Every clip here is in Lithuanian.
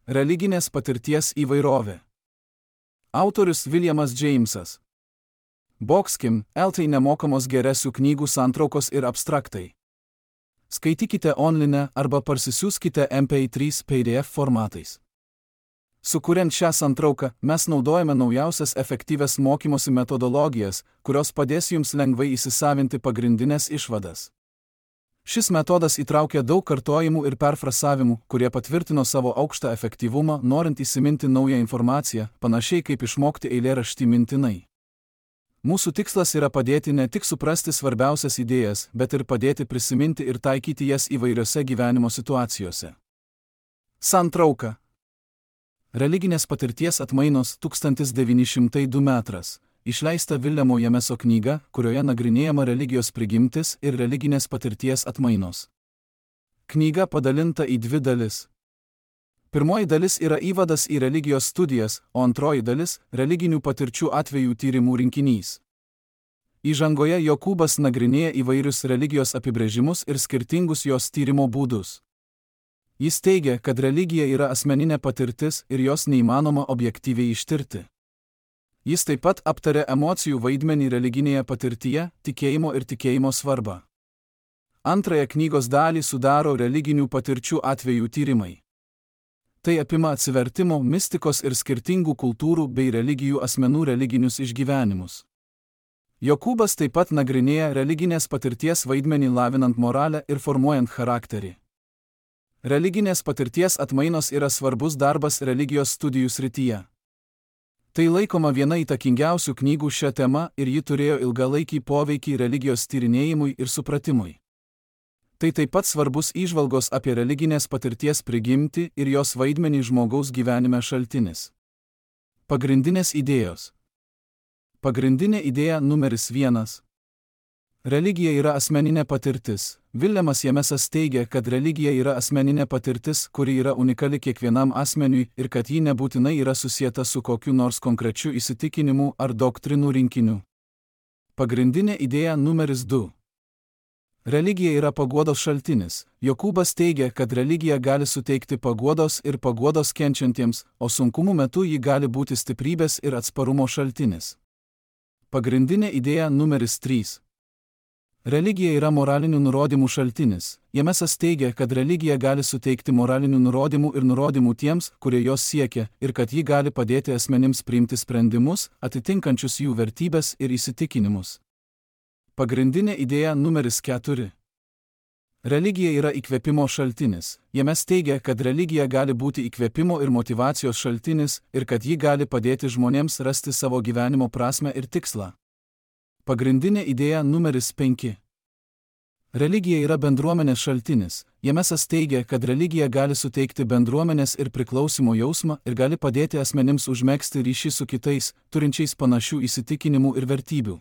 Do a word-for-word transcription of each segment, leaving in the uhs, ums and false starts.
Religinės patirties įvairovė. Autorius Williamas Jamesas. Boxkim, eltai nemokamos geresių knygų santraukos ir abstraktai. Skaitykite online arba parsisiųskite M P trys P D F formatais. Sukuriant šią santrauką, mes naudojame naujausias efektyvias mokymosi metodologijas, kurios padės jums lengvai įsisavinti pagrindinės išvadas. Šis metodas įtraukia daug kartojimų ir perfrasavimų, kurie patvirtino savo aukštą efektyvumą, norint įsiminti naują informaciją, panašiai kaip išmokti eilėraštį mintinai. Mūsų tikslas yra padėti ne tik suprasti svarbiausias idėjas, bet ir padėti prisiminti ir taikyti jas įvairiose gyvenimo situacijose. Santrauka. Religinės patirties atmainos tūkstantis devyni šimtai du metras. Išleista Viljamo Jameso knyga, kurioje nagrinėjama religijos prigimtis ir religinės patirties atmainos. Knyga padalinta į dvi dalis. Pirmoji dalis yra įvadas į religijos studijas, o antroji dalis – religinių patirčių atvejų tyrimų rinkinys. Įžangoje Jokūbas nagrinėja įvairius religijos apibrėžimus ir skirtingus jos tyrimo būdus. Jis teigia, kad religija yra asmeninė patirtis ir jos neįmanoma objektyviai ištirti. Jis taip pat aptarė emocijų vaidmenį religinėje patirtyje, tikėjimo ir tikėjimo svarbą. Antrąją knygos dalį sudaro religinių patirčių atvejų tyrimai. Tai apima atsivertimo, mistikos ir skirtingų kultūrų bei religijų asmenų religinius išgyvenimus. Jokūbas taip pat nagrinėja religinės patirties vaidmenį lavinant moralę ir formuojant charakterį. Religinės patirties atmainos yra svarbus darbas religijos studijų srityje. Tai laikoma viena įtakingiausių knygų šią temą ir ji turėjo ilgalaikį poveikį religijos tyrinėjimui ir supratimui. Tai taip pat svarbus įžvalgos apie religinės patirties prigimtį ir jos vaidmenį žmogaus gyvenime šaltinis. Pagrindinės idėjos. Pagrindinė idėja numeris vienas. Religija yra asmeninė patirtis. Viljamas Jamesas teigia, kad religija yra asmeninė patirtis, kuri yra unikali kiekvienam asmeniui ir kad ji nebūtinai yra susieta su kokiu nors konkrečiu įsitikinimu ar doktrinų rinkiniu. Pagrindinė idėja numeris du. Religija yra paguodos šaltinis. Jokūbas teigia, kad religija gali suteikti paguodos ir paguodos kenčiantiems, o sunkumų metu ji gali būti stiprybės ir atsparumo šaltinis. Pagrindinė idėja numeris trys. Religija yra moralinių nurodymų šaltinis. Jamesas teigia, kad religija gali suteikti moralinių nurodymų ir nurodymų tiems, kurie jos siekia, ir kad ji gali padėti asmenims priimti sprendimus, atitinkančius jų vertybes ir įsitikinimus. Pagrindinė idėja numeris keturi. Religija yra įkvėpimo šaltinis. James teigia, kad religija gali būti įkvėpimo ir motyvacijos šaltinis ir kad ji gali padėti žmonėms rasti savo gyvenimo prasmę ir tikslą. Pagrindinė idėja numeris penki. Religija yra bendruomenės šaltinis. Jamesas teigia, kad religija gali suteikti bendruomenės ir priklausimo jausmą ir gali padėti asmenims užmegzti ryšį su kitais, turinčiais panašių įsitikinimų ir vertybių.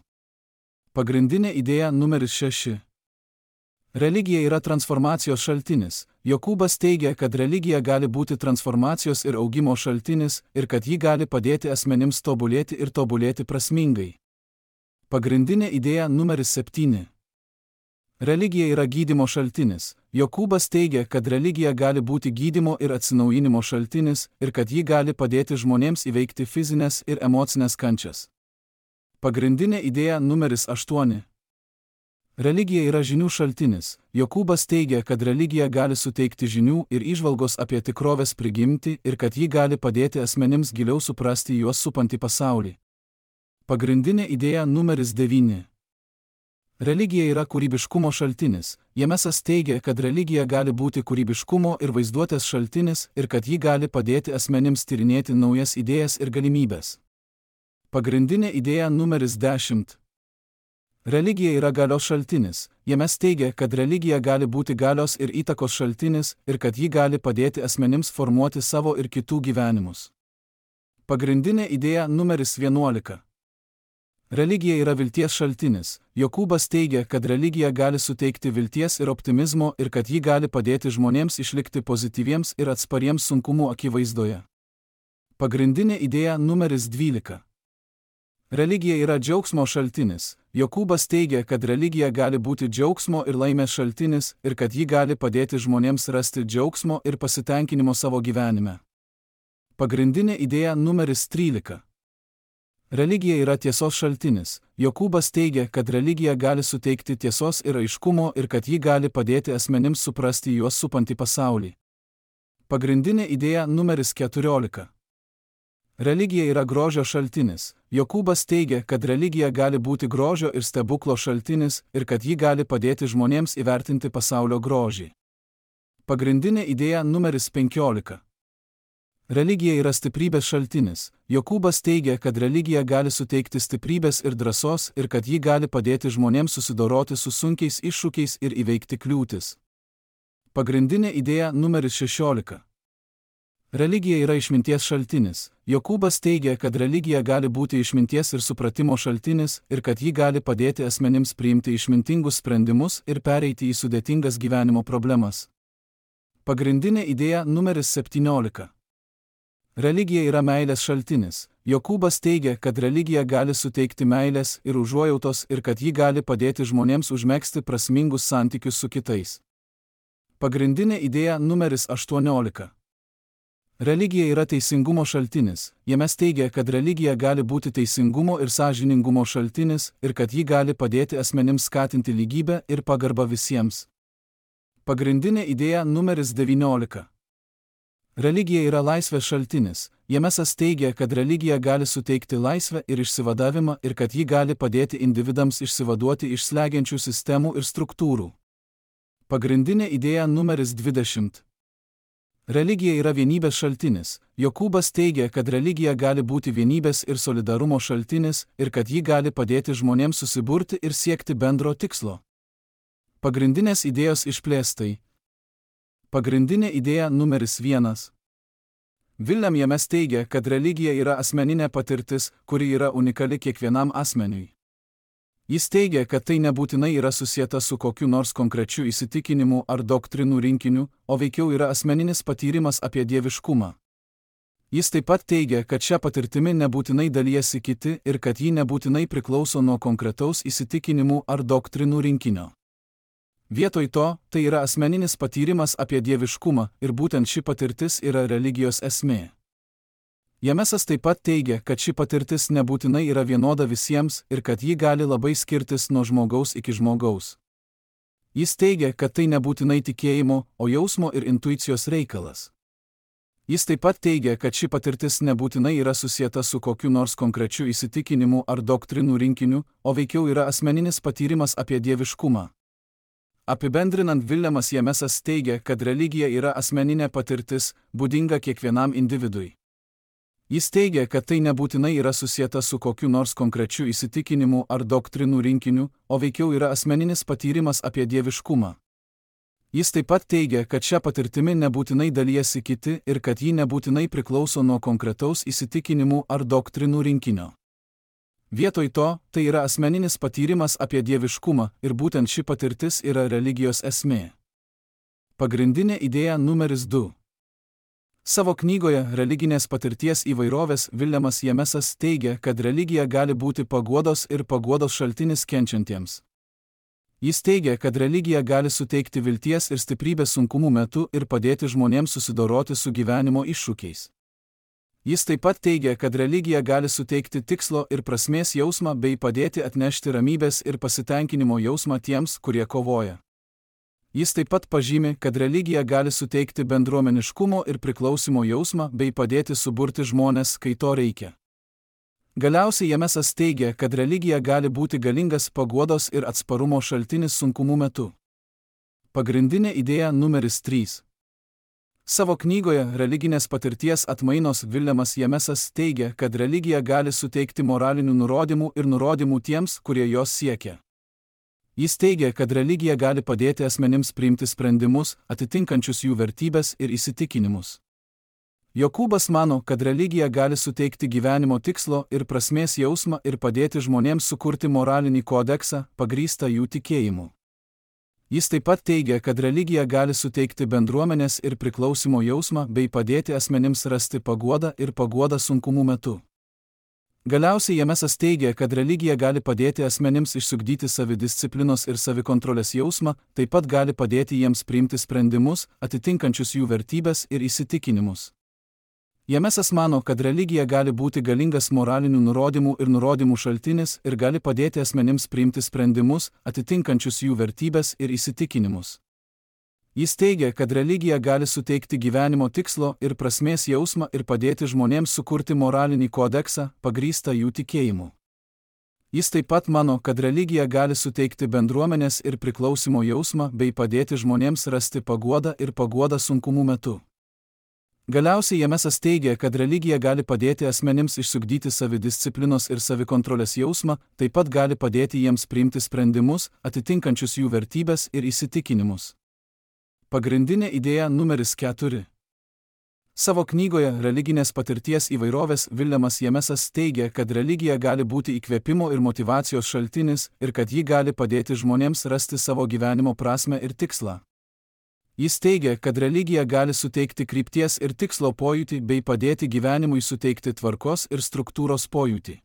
Pagrindinė idėja numeris šeši. Religija yra transformacijos šaltinis. Jokūbas teigia, kad religija gali būti transformacijos ir augimo šaltinis ir kad ji gali padėti asmenims tobulėti ir tobulėti prasmingai. Pagrindinė idėja numeris septyni. Religija yra gydymo šaltinis. Jokūbas teigia, kad religija gali būti gydymo ir atsinaujinimo šaltinis ir kad ji gali padėti žmonėms įveikti fizinės ir emocinės kančias. Pagrindinė idėja numeris aštuoni. Religija yra žinių šaltinis. Jokūbas teigia, kad religija gali suteikti žinių ir įžvalgos apie tikrovės prigimtį ir kad ji gali padėti asmenims giliau suprasti juos supantį pasaulį. Pagrindinė idėja numeris devyni. Religija yra kūrybiškumo šaltinis. Jamesas teigia, kad religija gali būti kūrybiškumo ir vaizduotės šaltinis ir kad ji gali padėti asmenims tyrinėti naujas idėjas ir galimybės. Pagrindinė idėja numeris dešimt. Religija yra galios šaltinis. James teigia, kad religija gali būti galios ir įtakos šaltinis ir kad ji gali padėti asmenims formuoti savo ir kitų gyvenimus. Pagrindinė idėja numeris vienuolika. Religija yra vilties šaltinis. Jokūbas teigia, kad religija gali suteikti vilties ir optimizmo ir kad ji gali padėti žmonėms išlikti pozityviems ir atspariems sunkumų akivaizdoje. Pagrindinė idėja numeris dvylika. Religija yra džiaugsmo šaltinis. Jokūbas teigia, kad religija gali būti džiaugsmo ir laimės šaltinis ir kad ji gali padėti žmonėms rasti džiaugsmo ir pasitenkinimo savo gyvenime. Pagrindinė idėja numeris trylika. Religija yra tiesos šaltinis. Jokūbas teigia, kad religija gali suteikti tiesos ir aiškumo ir kad ji gali padėti asmenims suprasti juos supantį pasaulį. Pagrindinė idėja numeris keturiolika. Religija yra grožio šaltinis. Jokūbas teigia, kad religija gali būti grožio ir stebuklo šaltinis ir kad ji gali padėti žmonėms įvertinti pasaulio grožį. Pagrindinė idėja numeris penkiolika. Religija yra stiprybės šaltinis. Jokūbas teigia, kad religija gali suteikti stiprybės ir drąsos ir kad ji gali padėti žmonėms susidoroti su sunkiais iššūkiais ir įveikti kliūtis. Pagrindinė idėja numeris šešiolika. Religija yra išminties šaltinis. Jokūbas teigia, kad religija gali būti išminties ir supratimo šaltinis ir kad ji gali padėti asmenims priimti išmintingus sprendimus ir pereiti į sudėtingas gyvenimo problemas. Pagrindinė idėja numeris septyniolika. Religija yra meilės šaltinis. Jokūbas teigia, kad religija gali suteikti meilės ir užuojautos ir kad ji gali padėti žmonėms užmegzti prasmingus santykius su kitais. Pagrindinė idėja numeris aštuoniolika. Religija yra teisingumo šaltinis. Jame teigia, kad religija gali būti teisingumo ir sąžiningumo šaltinis ir kad ji gali padėti asmenims skatinti lygybę ir pagarbą visiems. Pagrindinė idėja numeris devyniolika. Religija yra laisvės šaltinis. Jemesas teigia, kad religija gali suteikti laisvę ir išsivadavimą ir kad ji gali padėti individams išsivaduoti iš slegiančių sistemų ir struktūrų. Pagrindinė idėja numeris dvidešimt. Religija yra vienybės šaltinis. Jokūbas teigia, kad religija gali būti vienybės ir solidarumo šaltinis ir kad ji gali padėti žmonėms susiburti ir siekti bendro tikslo. Pagrindinės idėjos išplėstai. Pagrindinė idėja numeris vienas. William James teigia, kad religija yra asmeninė patirtis, kuri yra unikali kiekvienam asmeniui. Jis teigia, kad tai nebūtinai yra susieta su kokiu nors konkrečiu įsitikinimu ar doktrinų rinkiniu, o veikiau yra asmeninis patyrimas apie dieviškumą. Jis taip pat teigia, kad šią patirtimį nebūtinai dalijasi kiti ir kad ji nebūtinai priklauso nuo konkretaus įsitikinimų ar doktrinų rinkinio. Vietoj to, tai yra asmeninis patyrimas apie dieviškumą ir būtent ši patirtis yra religijos esmė. Jamesas taip pat teigia, kad ši patirtis nebūtinai yra vienoda visiems ir kad ji gali labai skirtis nuo žmogaus iki žmogaus. Jis teigia, kad tai nebūtinai tikėjimo, o jausmo ir intuicijos reikalas. Jis taip pat teigia, kad ši patirtis nebūtinai yra susieta su kokiu nors konkrečiu įsitikinimu ar doktrinų rinkiniu, o veikiau yra asmeninis patyrimas apie dieviškumą. Apibendrinant, Williamas Jamesas teigia, kad religija yra asmeninė patirtis, būdinga kiekvienam individui. Jis teigia, kad tai nebūtinai yra susieta su kokiu nors konkrečiu įsitikinimu ar doktrinų rinkiniu, o veikiau yra asmeninis patyrimas apie dieviškumą. Jis taip pat teigia, kad šią patirtimį nebūtinai dalijasi kiti ir kad ji nebūtinai priklauso nuo konkretaus įsitikinimų ar doktrinų rinkinio. Vietoj to, tai yra asmeninis patyrimas apie dieviškumą ir būtent ši patirtis yra religijos esmė. Pagrindinė idėja numeris du. Savo knygoje Religinės patirties įvairovės Williamas Jamesas teigia, kad religija gali būti paguodos ir paguodos šaltinis kenčiantiems. Jis teigia, kad religija gali suteikti vilties ir stiprybės sunkumų metu ir padėti žmonėms susidoroti su gyvenimo iššūkiais. Jis taip pat teigia, kad religija gali suteikti tikslo ir prasmės jausmą bei padėti atnešti ramybės ir pasitenkinimo jausmą tiems, kurie kovoja. Jis taip pat pažymi, kad religija gali suteikti bendruomeniškumo ir priklausimo jausmą bei padėti suburti žmones, kai to reikia. Galiausiai Jamesas teigia, kad religija gali būti galingas paguodos ir atsparumo šaltinis sunkumų metu. Pagrindinė idėja numeris trys. Savo knygoje Religinės patirties atmainos Williamas Jamesas teigia, kad religija gali suteikti moralinių nurodymų ir nurodymų tiems, kurie jos siekia. Jis teigia, kad religija gali padėti asmenims priimti sprendimus, atitinkančius jų vertybės ir įsitikinimus. Jokūbas mano, kad religija gali suteikti gyvenimo tikslo ir prasmės jausmą ir padėti žmonėms sukurti moralinį kodeksą, pagrįstą jų tikėjimu. Jis taip pat teigia, kad religija gali suteikti bendruomenės ir priklausimo jausmą bei padėti asmenims rasti paguodą ir paguodą sunkumų metu. Galiausiai Jamesas teigia, kad religija gali padėti asmenims išsiugdyti savidisciplinos ir savikontrolės jausmą, taip pat gali padėti jiems priimti sprendimus, atitinkančius jų vertybės ir įsitikinimus. Jamesas mano, kad religija gali būti galingas moralinių nurodymų ir nurodymų šaltinis ir gali padėti asmenims priimti sprendimus, atitinkančius jų vertybes ir įsitikinimus. Jis teigia, kad religija gali suteikti gyvenimo tikslo ir prasmės jausmą ir padėti žmonėms sukurti moralinį kodeksą, pagrįstą jų tikėjimu. Jis taip pat mano, kad religija gali suteikti bendruomenės ir priklausimo jausmą bei padėti žmonėms rasti paguodą ir paguodą sunkumų metu. Galiausiai Jamesas teigia, kad religija gali padėti asmenims išsiugdyti savidisciplinos ir savikontrolės jausmą, taip pat gali padėti jiems priimti sprendimus, atitinkančius jų vertybes ir įsitikinimus. Pagrindinė idėja numeris keturi. Savo knygoje Religinės patirties įvairovės Viljamas Jamesas teigia, kad religija gali būti įkvėpimo ir motyvacijos šaltinis ir kad ji gali padėti žmonėms rasti savo gyvenimo prasmę ir tikslą. Jis teigia, kad religija gali suteikti krypties ir tikslo pojūtį bei padėti gyvenimui suteikti tvarkos ir struktūros pojūtį.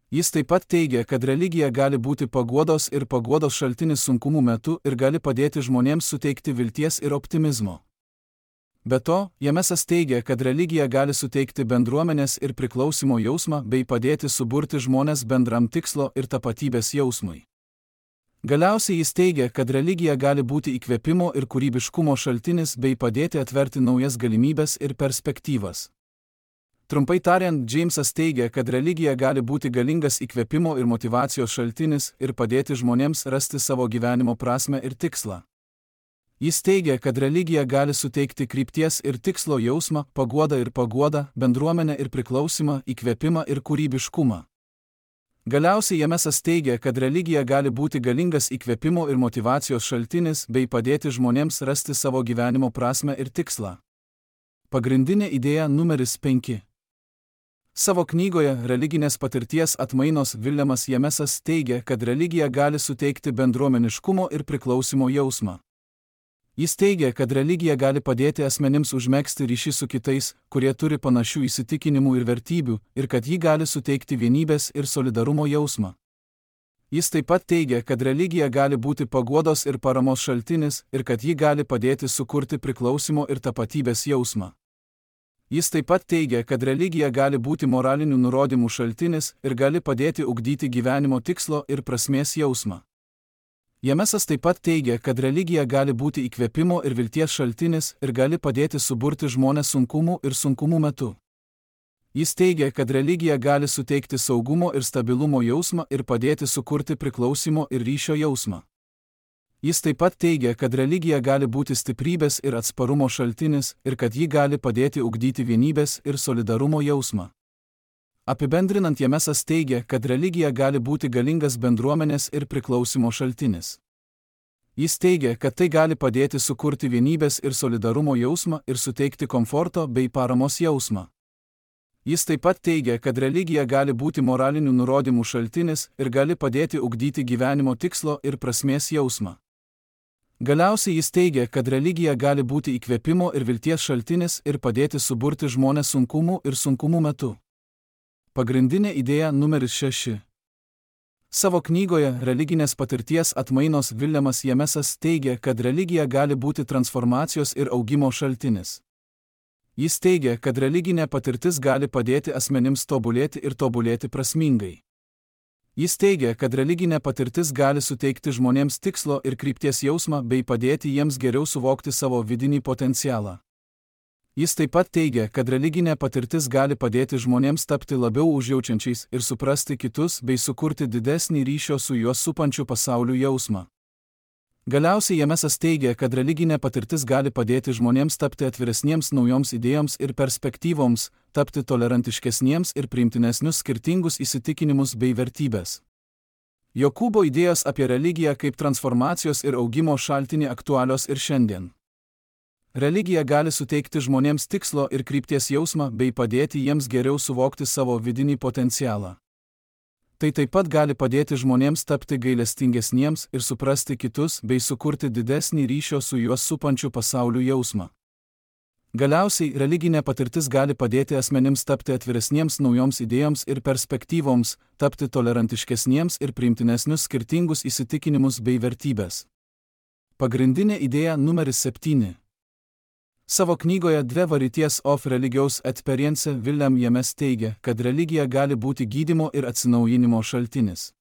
Jis taip pat teigia, kad religija gali būti paguodos ir paguodos šaltinis sunkumų metu ir gali padėti žmonėms suteikti vilties ir optimizmo. Be to, Jamesas teigia, kad religija gali suteikti bendruomenės ir priklausimo jausmą bei padėti suburti žmones bendram tikslo ir tapatybės jausmui. Galiausiai jis teigia, kad religija gali būti įkvėpimo ir kūrybiškumo šaltinis bei padėti atverti naujas galimybes ir perspektyvas. Trumpai tariant, Jamesas teigia, kad religija gali būti galingas įkvėpimo ir motyvacijos šaltinis ir padėti žmonėms rasti savo gyvenimo prasmę ir tikslą. Jis teigia, kad religija gali suteikti krypties ir tikslo jausmą, paguodą ir paguodą, bendruomenę ir priklausimą, įkvėpimą ir kūrybiškumą. Galiausiai Jamesas teigia, kad religija gali būti galingas įkvėpimo ir motyvacijos šaltinis bei padėti žmonėms rasti savo gyvenimo prasmę ir tikslą. Pagrindinė idėja numeris penki. Savo knygoje Religinės patirties atmainos Viljamas Jamesas teigia, kad religija gali suteikti bendruomeniškumo ir priklausimo jausmą. Jis teigia, kad religija gali padėti asmenims užmegzti ryšį su kitais, kurie turi panašių įsitikinimų ir vertybių, ir kad ji gali suteikti vienybės ir solidarumo jausmą. Jis taip pat teigia, kad religija gali būti paguodos ir paramos šaltinis, ir kad ji gali padėti sukurti priklausimo ir tapatybės jausmą. Jis taip pat teigia, kad religija gali būti moralinių nurodymų šaltinis ir gali padėti ugdyti gyvenimo tikslo ir prasmės jausmą. Jamesas taip pat teigia, kad religija gali būti įkvėpimo ir vilties šaltinis ir gali padėti suburti žmones sunkumų ir sunkumų metu. Jis teigia, kad religija gali suteikti saugumo ir stabilumo jausmą ir padėti sukurti priklausimo ir ryšio jausmą. Jis taip pat teigia, kad religija gali būti stiprybės ir atsparumo šaltinis ir kad ji gali padėti ugdyti vienybės ir solidarumo jausmą. Apibendrinant, Jamesas teigia, kad religija gali būti galingas bendruomenės ir priklausimo šaltinis. Jis teigia, kad tai gali padėti sukurti vienybės ir solidarumo jausmą ir suteikti komforto bei paramos jausmą. Jis taip pat teigia, kad religija gali būti moralinių nurodymų šaltinis ir gali padėti ugdyti gyvenimo tikslo ir prasmės jausmą. Galiausiai jis teigia, kad religija gali būti įkvėpimo ir vilties šaltinis ir padėti suburti žmones sunkumų ir sunkumų metu. Pagrindinė idėja numeris šeši. Savo knygoje Religinės patirties atmainos Viljamas Jamesas teigia, kad religija gali būti transformacijos ir augimo šaltinis. Jis teigia, kad religinė patirtis gali padėti asmenims tobulėti ir tobulėti prasmingai. Jis teigia, kad religinė patirtis gali suteikti žmonėms tikslo ir krypties jausmą bei padėti jiems geriau suvokti savo vidinį potencialą. Jis taip pat teigia, kad religinė patirtis gali padėti žmonėms tapti labiau užjaučiančiais ir suprasti kitus bei sukurti didesnį ryšio su juos supančiu pasauliu jausmą. Galiausiai Jamesas teigia, kad religinė patirtis gali padėti žmonėms tapti atviresniems naujoms idėjoms ir perspektyvoms, tapti tolerantiškesniems ir priimtinesnius skirtingus įsitikinimus bei vertybės. Jokūbo idėjos apie religiją kaip transformacijos ir augimo šaltinį aktualios ir šiandien. Religija gali suteikti žmonėms tikslo ir krypties jausmą bei padėti jiems geriau suvokti savo vidinį potencialą. Tai taip pat gali padėti žmonėms tapti gailestingesniems ir suprasti kitus bei sukurti didesnį ryšio su juos supančiu pasauliu jausmą. Galiausiai, religinė patirtis gali padėti asmenims tapti atviresniems naujoms idėjoms ir perspektyvoms, tapti tolerantiškesniems ir priimtinesnius skirtingus įsitikinimus bei vertybės. Pagrindinė idėja numeris septyni. Savo knygoje Dvi Varieties of Religious Experience William James teigia, kad religija gali būti gydymo ir atsinaujinimo šaltinis.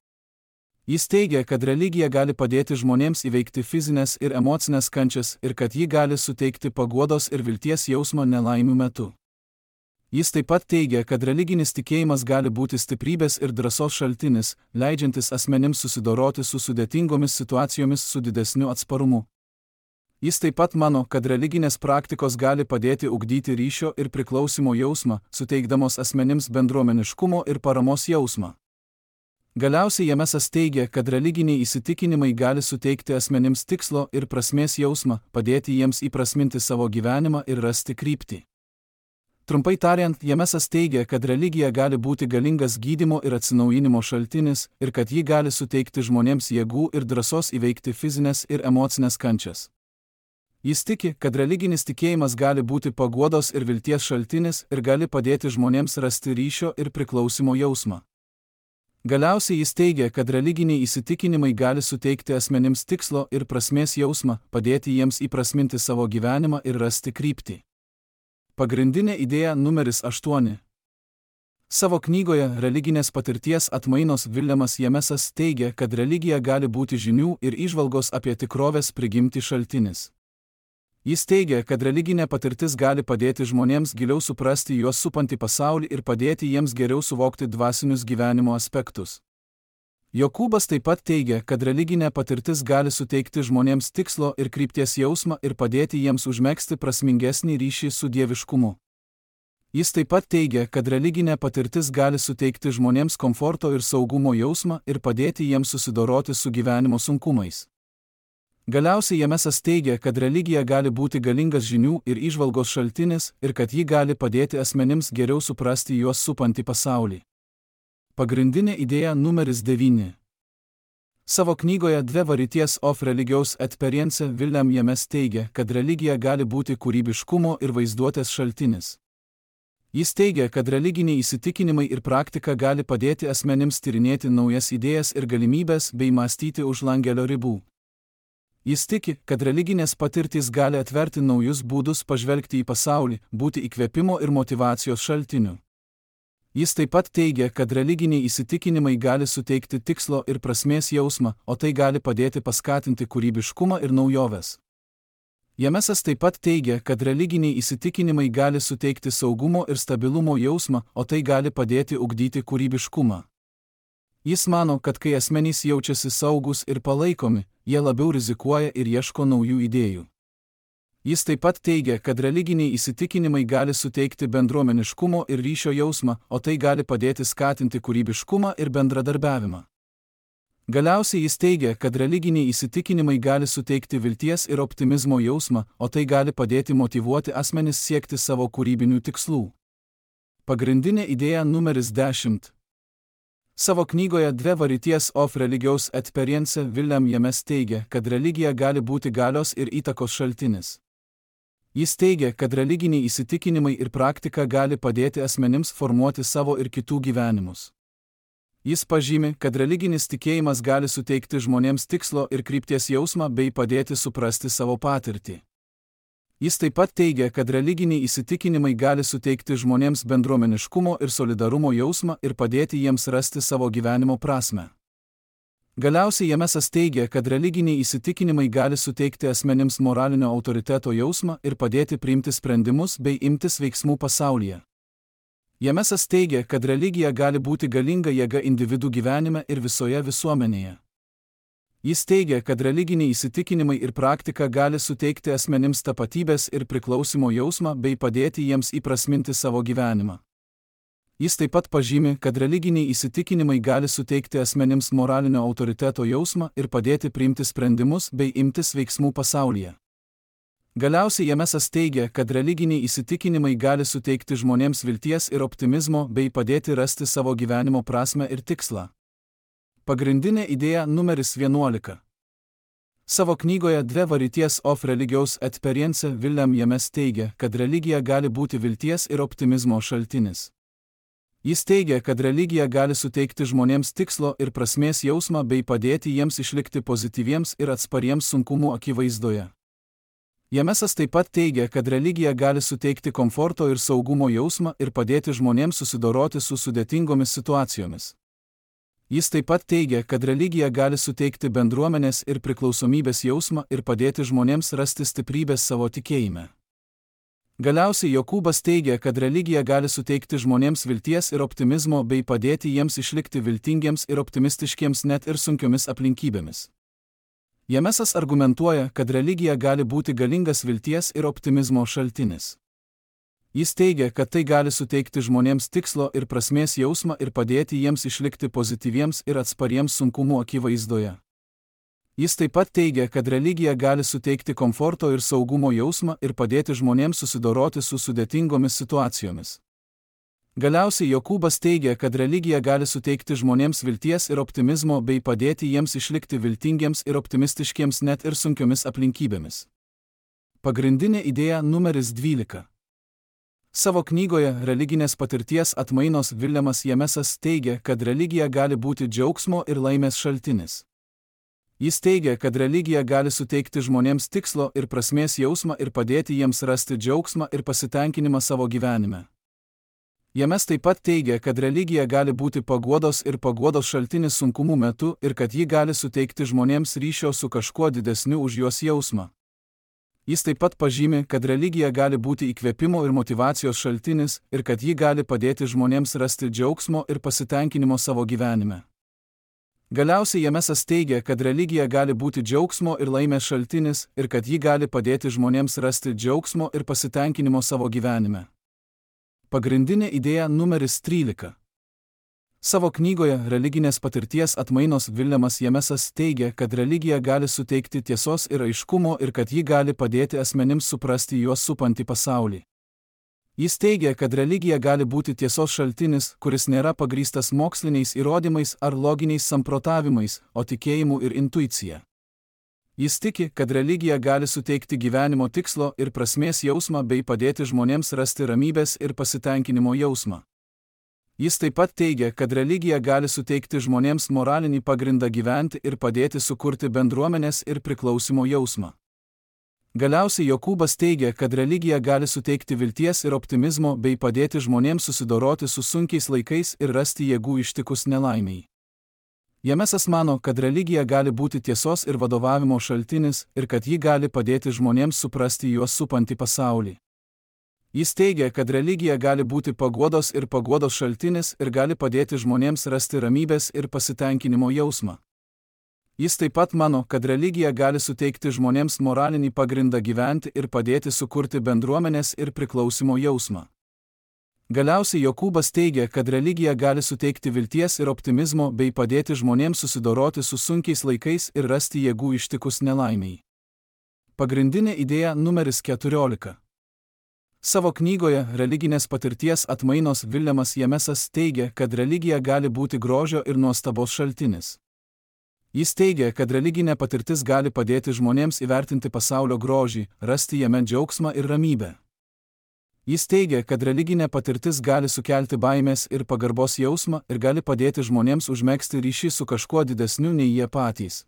Jis teigia, kad religija gali padėti žmonėms įveikti fizinės ir emocinės kančias ir kad ji gali suteikti paguodos ir vilties jausmą nelaimių metu. Jis taip pat teigia, kad religinis tikėjimas gali būti stiprybės ir drąsos šaltinis, leidžiantis asmenims susidoroti su sudėtingomis situacijomis su didesniu atsparumu. Jis taip pat mano, kad religinės praktikos gali padėti ugdyti ryšio ir priklausimo jausmą, suteikdamos asmenims bendruomeniškumo ir paramos jausmą. Galiausiai Jamesas teigia, kad religiniai įsitikinimai gali suteikti asmenims tikslo ir prasmės jausmą, padėti jiems įprasminti savo gyvenimą ir rasti kryptį. Trumpai tariant, Jamesas teigia, kad religija gali būti galingas gydymo ir atsinaujinimo šaltinis ir kad ji gali suteikti žmonėms jėgų ir drąsos įveikti fizinės ir emocinės kančias. Jis tiki, kad religinis tikėjimas gali būti paguodos ir vilties šaltinis ir gali padėti žmonėms rasti ryšio ir priklausimo jausmą. Galiausiai jis teigia, kad religiniai įsitikinimai gali suteikti asmenims tikslo ir prasmės jausmą, padėti jiems įprasminti savo gyvenimą ir rasti kryptį. Pagrindinė idėja numeris aštuoni. Savo knygoje Religinės patirties atmainos Williamas Jamesas teigia, kad religija gali būti žinių ir įžvalgos apie tikrovės prigimtį šaltinis. Jis teigia, kad religinė patirtis gali padėti žmonėms giliau suprasti juos supantį pasaulį ir padėti jiems geriau suvokti dvasinius gyvenimo aspektus. Jokūbas taip pat teigia, kad religinė patirtis gali suteikti žmonėms tikslo ir krypties jausmą ir padėti jiems užmegzti prasmingesnį ryšį su dieviškumu. Jis taip pat teigia, kad religinė patirtis gali suteikti žmonėms komforto ir saugumo jausmą ir padėti jiems susidoroti su gyvenimo sunkumais. Galiausiai Jamesas teigia, kad religija gali būti galingas žinių ir įžvalgos šaltinis ir kad ji gali padėti asmenims geriau suprasti juos supantį pasaulį. Pagrindinė idėja numeris devyni. Savo knygoje Dvi Varieties of Religious Experience William James teigia, kad religija gali būti kūrybiškumo ir vaizduotės šaltinis. Jis teigia, kad religiniai įsitikinimai ir praktika gali padėti asmenims tyrinėti naujas idėjas ir galimybės bei mąstyti už langelio ribų. Jis tiki, kad religinės patirtys gali atverti naujus būdus pažvelgti į pasaulį, būti įkvėpimo ir motyvacijos šaltiniu. Jis taip pat teigia, kad religiniai įsitikinimai gali suteikti tikslo ir prasmės jausmą, o tai gali padėti paskatinti kūrybiškumą ir naujoves. Jamesas taip pat teigia, kad religiniai įsitikinimai gali suteikti saugumo ir stabilumo jausmą, o tai gali padėti ugdyti kūrybiškumą. Jis mano, kad kai asmenys jaučiasi saugus ir palaikomi, jie labiau rizikuoja ir ieško naujų idėjų. Jis taip pat teigia, kad religiniai įsitikinimai gali suteikti bendruomeniškumo ir ryšio jausmą, o tai gali padėti skatinti kūrybiškumą ir bendradarbiavimą. Galiausiai jis teigia, kad religiniai įsitikinimai gali suteikti vilties ir optimizmo jausmą, o tai gali padėti motyvuoti asmenis siekti savo kūrybinių tikslų. Pagrindinė idėja numeris dešimt. Savo knygoje Dvi Varieties of Religious Experience William James teigia, kad religija gali būti galios ir įtakos šaltinis. Jis teigia, kad religiniai įsitikinimai ir praktika gali padėti asmenims formuoti savo ir kitų gyvenimus. Jis pažymi, kad religinis tikėjimas gali suteikti žmonėms tikslo ir krypties jausmą bei padėti suprasti savo patirtį. Jis taip pat teigia, kad religiniai įsitikinimai gali suteikti žmonėms bendruomeniškumo ir solidarumo jausmą ir padėti jiems rasti savo gyvenimo prasmę. Galiausiai Jamesas teigia, kad religiniai įsitikinimai gali suteikti asmenims moralinio autoriteto jausmą ir padėti priimti sprendimus bei imtis veiksmų pasaulyje. Jamesas teigia, kad religija gali būti galinga jėga individų gyvenime ir visoje visuomenėje. Jis teigia, kad religiniai įsitikinimai ir praktika gali suteikti asmenims tapatybės ir priklausimo jausmą bei padėti jiems įprasminti savo gyvenimą. Jis taip pat pažymi, kad religiniai įsitikinimai gali suteikti asmenims moralinio autoriteto jausmą ir padėti priimti sprendimus bei imtis veiksmų pasaulyje. Galiausiai Jamesas teigia, kad religiniai įsitikinimai gali suteikti žmonėms vilties ir optimizmo bei padėti rasti savo gyvenimo prasmę ir tikslą. Pagrindinė idėja numeris vienuolika. Savo knygoje Dvi Varieties of Religious Experience William James teigia, kad religija gali būti vilties ir optimizmo šaltinis. Jis teigia, kad religija gali suteikti žmonėms tikslo ir prasmės jausmą bei padėti jiems išlikti pozityviems ir atspariems sunkumų akivaizdoje. Jamesas taip pat teigia, kad religija gali suteikti komforto ir saugumo jausmą ir padėti žmonėms susidoroti su sudėtingomis situacijomis. Jis taip pat teigia, kad religija gali suteikti bendruomenės ir priklausomybės jausmą ir padėti žmonėms rasti stiprybės savo tikėjime. Galiausiai Jokūbas teigia, kad religija gali suteikti žmonėms vilties ir optimizmo bei padėti jiems išlikti viltingiems ir optimistiškiems net ir sunkiomis aplinkybėmis. Jamesas argumentuoja, kad religija gali būti galingas vilties ir optimizmo šaltinis. Jis teigia, kad tai gali suteikti žmonėms tikslo ir prasmės jausmą ir padėti jiems išlikti pozityviems ir atspariems sunkumų akivaizdoje. Jis taip pat teigia, kad religija gali suteikti komforto ir saugumo jausmą ir padėti žmonėms susidoroti su sudėtingomis situacijomis. Galiausiai Jokūbas teigia, kad religija gali suteikti žmonėms vilties ir optimizmo bei padėti jiems išlikti viltingiems ir optimistiškiems net ir sunkiomis aplinkybėmis. Pagrindinė idėja numeris dvylika. Savo knygoje Religinės patirties atmainos Viljamas Jamesas teigia, kad religija gali būti džiaugsmo ir laimės šaltinis. Jis teigia, kad religija gali suteikti žmonėms tikslo ir prasmės jausmą ir padėti jiems rasti džiaugsmą ir pasitenkinimą savo gyvenime. James taip pat teigia, kad religija gali būti paguodos ir paguodos šaltinis sunkumų metu ir kad ji gali suteikti žmonėms ryšio su kažkuo didesniu už juos jausmą. Jis taip pat pažymi, kad religija gali būti įkvėpimo ir motyvacijos šaltinis ir kad ji gali padėti žmonėms rasti džiaugsmo ir pasitenkinimo savo gyvenime. Galiausiai Jamesas teigia, kad religija gali būti džiaugsmo ir laimės šaltinis ir kad ji gali padėti žmonėms rasti džiaugsmo ir pasitenkinimo savo gyvenime. Pagrindinė idėja numeris trylika. Savo knygoje Religinės patirties atmainos Viljamas Jamesas teigia, kad religija gali suteikti tiesos ir aiškumo ir kad ji gali padėti asmenims suprasti juos supantį pasaulį. Jis teigia, kad religija gali būti tiesos šaltinis, kuris nėra pagrįstas moksliniais įrodymais ar loginiais samprotavimais, o tikėjimu ir intuicija. Jis tiki, kad religija gali suteikti gyvenimo tikslo ir prasmės jausmą bei padėti žmonėms rasti ramybės ir pasitenkinimo jausmą. Jis taip pat teigia, kad religija gali suteikti žmonėms moralinį pagrindą gyventi ir padėti sukurti bendruomenės ir priklausimo jausmą. Galiausiai Jokūbas teigia, kad religija gali suteikti vilties ir optimizmo bei padėti žmonėms susidoroti su sunkiais laikais ir rasti jėgų ištikus nelaimiai. Jamesas mano, kad religija gali būti tiesos ir vadovavimo šaltinis ir kad ji gali padėti žmonėms suprasti juos supantį pasaulį. Jis teigia, kad religija gali būti paguodos ir paguodos šaltinis ir gali padėti žmonėms rasti ramybės ir pasitenkinimo jausmą. Jis taip pat mano, kad religija gali suteikti žmonėms moralinį pagrindą gyventi ir padėti sukurti bendruomenės ir priklausimo jausmą. Galiausiai Jokūbas teigia, kad religija gali suteikti vilties ir optimizmo bei padėti žmonėms susidoroti su sunkiais laikais ir rasti jėgų ištikus nelaimiai. Pagrindinė idėja numeris keturiolika. Savo knygoje Religinės patirties atmainos Viljamas Jamesas teigia, kad religija gali būti grožio ir nuostabos šaltinis. Jis teigia, kad religinė patirtis gali padėti žmonėms įvertinti pasaulio grožį, rasti jame džiaugsmą ir ramybę. Jis teigia, kad religinė patirtis gali sukelti baimės ir pagarbos jausmą ir gali padėti žmonėms užmegzti ryšį su kažkuo didesniu nei jie patys.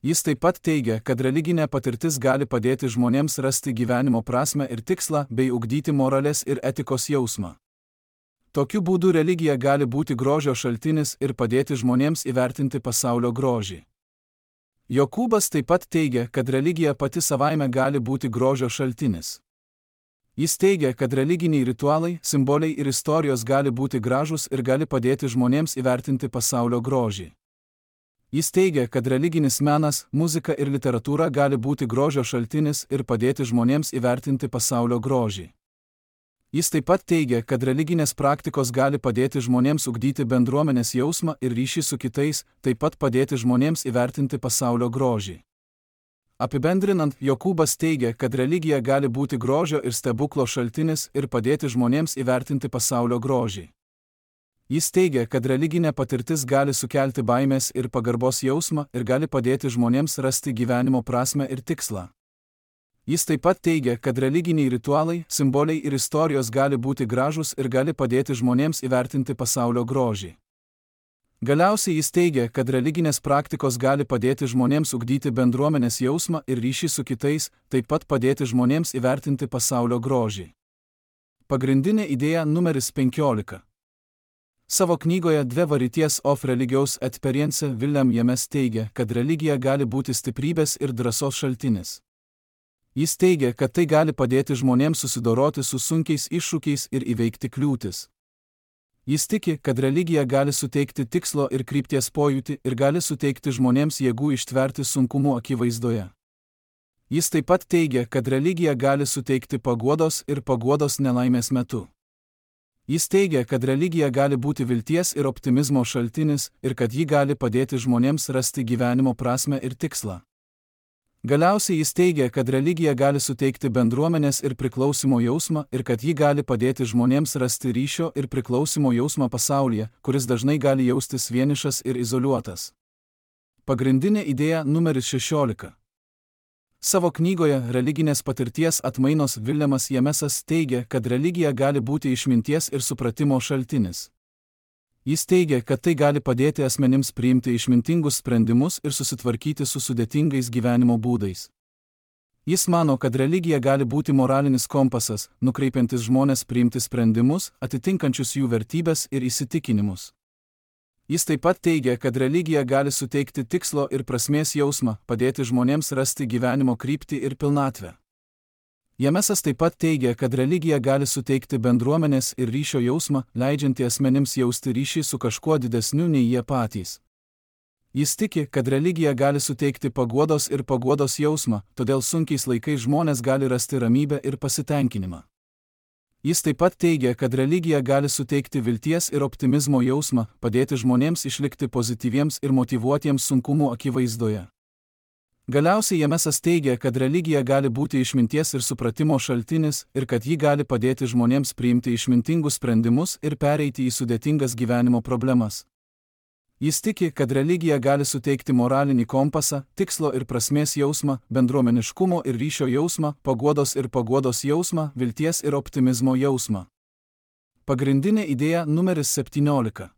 Jis taip pat teigia, kad religinė patirtis gali padėti žmonėms rasti gyvenimo prasmę ir tikslą bei ugdyti moralės ir etikos jausmą. Tokiu būdu religija gali būti grožio šaltinis ir padėti žmonėms įvertinti pasaulio grožį. Jokūbas taip pat teigia, kad religija pati savaime gali būti grožio šaltinis. Jis teigia, kad religiniai ritualai, simboliai ir istorijos gali būti gražūs ir gali padėti žmonėms įvertinti pasaulio grožį. Jis teigia, kad religinis menas, muzika ir literatūra gali būti grožio šaltinis ir padėti žmonėms įvertinti pasaulio grožį. Jis taip pat teigia, kad religinės praktikos gali padėti žmonėms ugdyti bendruomenės jausmą ir ryšį su kitais, taip pat padėti žmonėms įvertinti pasaulio grožį. Apibendrinant, Jokūbas teigia, kad religija gali būti grožio ir stebuklo šaltinis ir padėti žmonėms įvertinti pasaulio grožį. Jis teigia, kad religinė patirtis gali sukelti baimės ir pagarbos jausmą ir gali padėti žmonėms rasti gyvenimo prasmę ir tikslą. Jis taip pat teigia, kad religiniai ritualai, simboliai ir istorijos gali būti gražūs ir gali padėti žmonėms įvertinti pasaulio grožį. Galiausiai jis teigia, kad religinės praktikos gali padėti žmonėms ugdyti bendruomenės jausmą ir ryšį su kitais, taip pat padėti žmonėms įvertinti pasaulio grožį. Pagrindinė idėja numeris penkiolika. Savo knygoje Dve Varieties of Religious Experience William James teigia, kad religija gali būti stiprybės ir drąsos šaltinis. Jis teigia, kad tai gali padėti žmonėms susidoroti su sunkiais iššūkiais ir įveikti kliūtis. Jis tiki, kad religija gali suteikti tikslo ir krypties pojūtį ir gali suteikti žmonėms jėgų ištverti sunkumų akivaizdoje. Jis taip pat teigia, kad religija gali suteikti paguodos ir paguodos nelaimės metu. Jis teigia, kad religija gali būti vilties ir optimizmo šaltinis ir kad ji gali padėti žmonėms rasti gyvenimo prasmę ir tikslą. Galiausiai jis teigia, kad religija gali suteikti bendruomenės ir priklausimo jausmą ir kad ji gali padėti žmonėms rasti ryšio ir priklausimo jausmą pasaulyje, kuris dažnai gali jaustis vienišas ir izoliuotas. Pagrindinė idėja numeris šešiolika. Savo knygoje Religinės patirties atmainos Williamas Jamesas teigia, kad religija gali būti išminties ir supratimo šaltinis. Jis teigia, kad tai gali padėti asmenims priimti išmintingus sprendimus ir susitvarkyti su sudėtingais gyvenimo būdais. Jis mano, kad religija gali būti moralinis kompasas, nukreipiantis žmones priimti sprendimus, atitinkančius jų vertybes ir įsitikinimus. Jis taip pat teigia, kad religija gali suteikti tikslo ir prasmės jausmą, padėti žmonėms rasti gyvenimo kryptį ir pilnatvę. Jamesas taip pat teigia, kad religija gali suteikti bendruomenės ir ryšio jausmą, leidžiantį asmenims jausti ryšį su kažkuo didesniu nei jie patys. Jis tiki, kad religija gali suteikti paguodos ir paguodos jausmą, todėl sunkiais laikais žmonės gali rasti ramybę ir pasitenkinimą. Jis taip pat teigia, kad religija gali suteikti vilties ir optimizmo jausmą, padėti žmonėms išlikti pozityviems ir motyvuotiems sunkumų akivaizdoje. Galiausiai Jamesas teigia, kad religija gali būti išminties ir supratimo šaltinis ir kad ji gali padėti žmonėms priimti išmintingus sprendimus ir pereiti į sudėtingas gyvenimo problemas. Jis tiki, kad religija gali suteikti moralinį kompasą, tikslo ir prasmės jausmą, bendruomeniškumo ir ryšio jausmą, paguodos ir paguodos jausmą, vilties ir optimizmo jausmą. Pagrindinė idėja numeris septyniolika.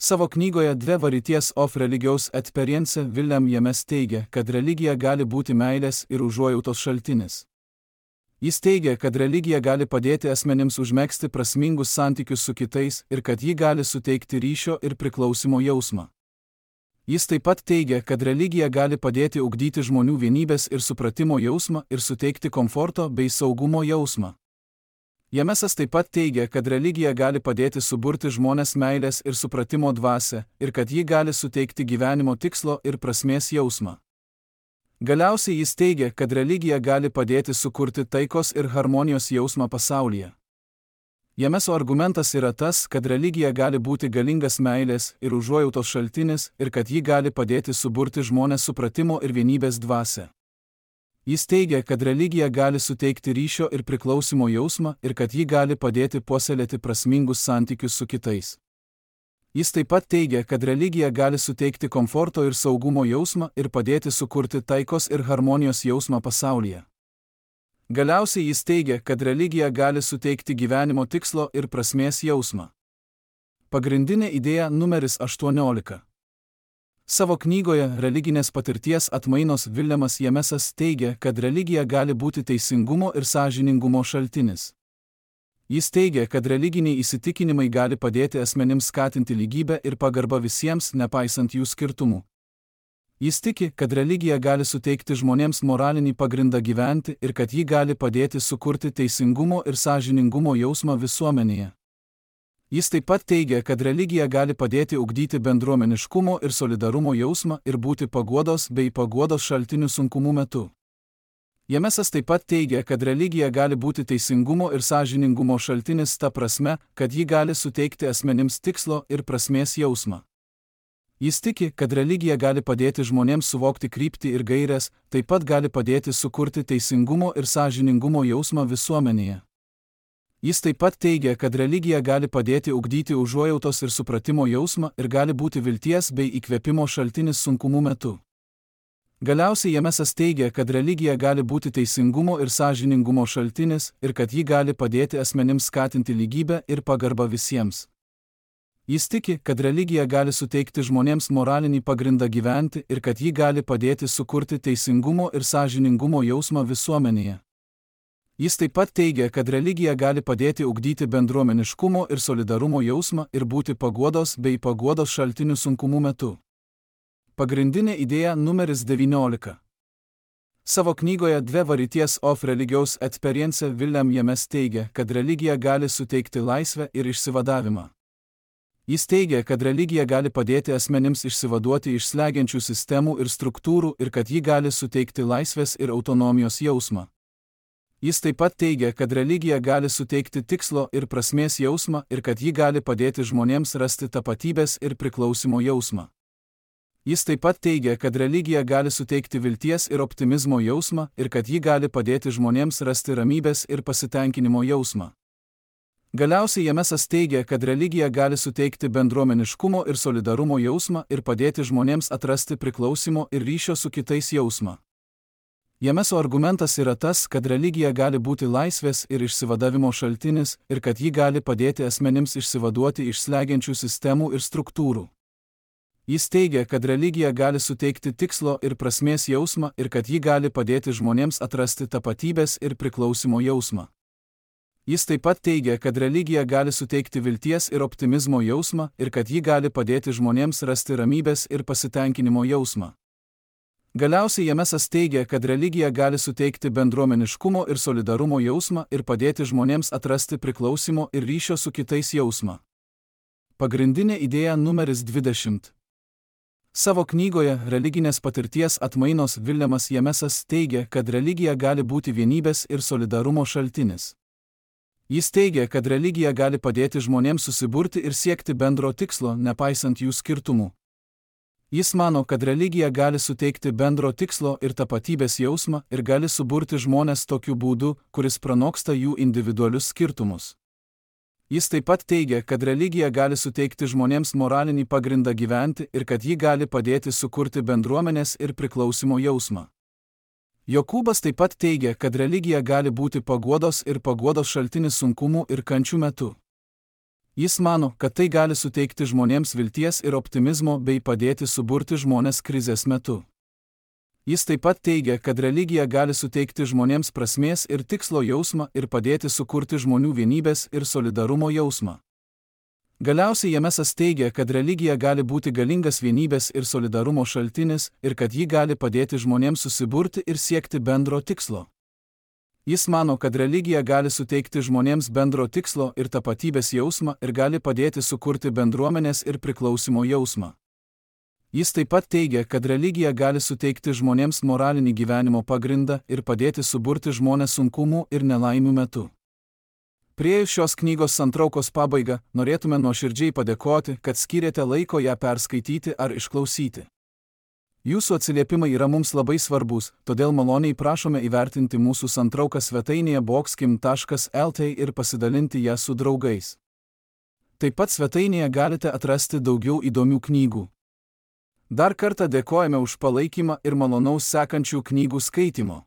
Savo knygoje Dve Varieties of Religious Experience William James teigia, kad religija gali būti meilės ir užuojautos šaltinis. Jis teigia, kad religija gali padėti asmenims užmegzti prasmingus santykius su kitais ir kad ji gali suteikti ryšio ir priklausimo jausmą. Jis taip pat teigia, kad religija gali padėti ugdyti žmonių vienybės ir supratimo jausmą ir suteikti komforto bei saugumo jausmą. Jamesas taip pat teigia, kad religija gali padėti suburti žmonės meilės ir supratimo dvasią ir kad ji gali suteikti gyvenimo tikslo ir prasmės jausmą. Galiausiai jis teigia, kad religija gali padėti sukurti taikos ir harmonijos jausmą pasaulyje. Jameso argumentas yra tas, kad religija gali būti galingas meilės ir užuojautos šaltinis ir kad ji gali padėti suburti žmonės supratimo ir vienybės dvasią. Jis teigia, kad religija gali suteikti ryšio ir priklausimo jausmą ir kad ji gali padėti puoselėti prasmingus santykius su kitais. Jis taip pat teigia, kad religija gali suteikti komforto ir saugumo jausmą ir padėti sukurti taikos ir harmonijos jausmą pasaulyje. Galiausiai jis teigia, kad religija gali suteikti gyvenimo tikslo ir prasmės jausmą. Pagrindinė idėja numeris aštuoniolika. Savo knygoje Religinės patirties atmainos Williamas Jamesas teigia, kad religija gali būti teisingumo ir sąžiningumo šaltinis. Jis teigia, kad religiniai įsitikinimai gali padėti asmenims skatinti lygybę ir pagarbą visiems, nepaisant jų skirtumų. Jis tiki, kad religija gali suteikti žmonėms moralinį pagrindą gyventi ir kad ji gali padėti sukurti teisingumo ir sąžiningumo jausmą visuomenėje. Jis taip pat teigia, kad religija gali padėti ugdyti bendruomeniškumo ir solidarumo jausmą ir būti paguodos bei paguodos šaltinių sunkumų metu. Jamesas taip pat teigia, kad religija gali būti teisingumo ir sąžiningumo šaltinis ta prasme, kad ji gali suteikti asmenims tikslo ir prasmės jausmą. Jis tiki, kad religija gali padėti žmonėms suvokti kryptį ir gaires, taip pat gali padėti sukurti teisingumo ir sąžiningumo jausmą visuomenėje. Jis taip pat teigia, kad religija gali padėti ugdyti užuojautos ir supratimo jausmą ir gali būti vilties bei įkvėpimo šaltinis sunkumų metu. Galiausiai Jamesas teigia, kad religija gali būti teisingumo ir sąžiningumo šaltinis ir kad ji gali padėti asmenims skatinti lygybę ir pagarbą visiems. Jis tiki, kad religija gali suteikti žmonėms moralinį pagrindą gyventi ir kad ji gali padėti sukurti teisingumo ir sąžiningumo jausmą visuomenėje. Jis taip pat teigia, kad religija gali padėti ugdyti bendruomeniškumo ir solidarumo jausmą ir būti paguodos bei paguodos šaltinių sunkumų metu. Pagrindinė idėja numeris devyniolika. Savo knygoje Dve varieties of religious experience William James teigia, kad religija gali suteikti laisvę ir išsivadavimą. Jis teigia, kad religija gali padėti asmenims išsivaduoti iš slegiančių sistemų ir struktūrų ir kad ji gali suteikti laisvės ir autonomijos jausmą. Jis taip pat teigia, kad religija gali suteikti tikslo ir prasmės jausmą ir kad ji gali padėti žmonėms rasti tapatybės ir priklausimo jausmą. Jis taip pat teigia, kad religija gali suteikti vilties ir optimizmo jausmą ir kad ji gali padėti žmonėms rasti ramybės ir pasitenkinimo jausmą. Galiausiai Jamesas teigia, kad religija gali suteikti bendruomeniškumo ir solidarumo jausmą ir padėti žmonėms atrasti priklausimo ir ryšio su kitais jausmą. Jameso argumentas yra tas, kad religija gali būti laisvės ir išsivadavimo šaltinis ir kad ji gali padėti asmenims išsivaduoti iš slegiančių sistemų ir struktūrų. Jis teigia, kad religija gali suteikti tikslo ir prasmės jausmą ir kad ji gali padėti žmonėms atrasti tapatybės ir priklausimo jausmą. Jis taip pat teigia, kad religija gali suteikti vilties ir optimizmo jausmą ir kad ji gali padėti žmonėms rasti ramybės ir pasitenkinimo jausmą. Galiausiai Jamesas teigia, kad religija gali suteikti bendruomeniškumo ir solidarumo jausmą ir padėti žmonėms atrasti priklausimo ir ryšio su kitais jausmą. Pagrindinė idėja numeris dvidešimt. Savo knygoje Religinės patirties atmainos Williamas Jamesas teigia, kad religija gali būti vienybės ir solidarumo šaltinis. Jis teigia, kad religija gali padėti žmonėms susiburti ir siekti bendro tikslo, nepaisant jų skirtumų. Jis mano, kad religija gali suteikti bendro tikslo ir tapatybės jausmą ir gali suburti žmones tokiu būdu, kuris pranoksta jų individualius skirtumus. Jis taip pat teigia, kad religija gali suteikti žmonėms moralinį pagrindą gyventi ir kad ji gali padėti sukurti bendruomenės ir priklausimo jausmą. Jokūbas taip pat teigia, kad religija gali būti paguodos ir paguodos šaltinis sunkumų ir kančių metu. Jis mano, kad tai gali suteikti žmonėms vilties ir optimizmo bei padėti suburti žmones krizės metu. Jis taip pat teigia, kad religija gali suteikti žmonėms prasmės ir tikslo jausmą ir padėti sukurti žmonių vienybės ir solidarumo jausmą. Galiausiai Jamesas teigia, kad religija gali būti galingas vienybės ir solidarumo šaltinis ir kad ji gali padėti žmonėms susiburti ir siekti bendro tikslo. Jis mano, kad religija gali suteikti žmonėms bendro tikslo ir tapatybės jausmą ir gali padėti sukurti bendruomenės ir priklausimo jausmą. Jis taip pat teigia, kad religija gali suteikti žmonėms moralinį gyvenimo pagrindą ir padėti suburti žmones sunkumų ir nelaimių metu. Priėjus šios knygos santraukos pabaigą, norėtume nuoširdžiai padėkoti, kad skyrėte laiko ją perskaityti ar išklausyti. Jūsų atsiliepimai yra mums labai svarbus, todėl maloniai prašome įvertinti mūsų santrauką svetainėje boxkim taškas lt ir pasidalinti ją su draugais. Taip pat svetainėje galite atrasti daugiau įdomių knygų. Dar kartą dėkojame už palaikymą ir malonaus sekančių knygų skaitimo.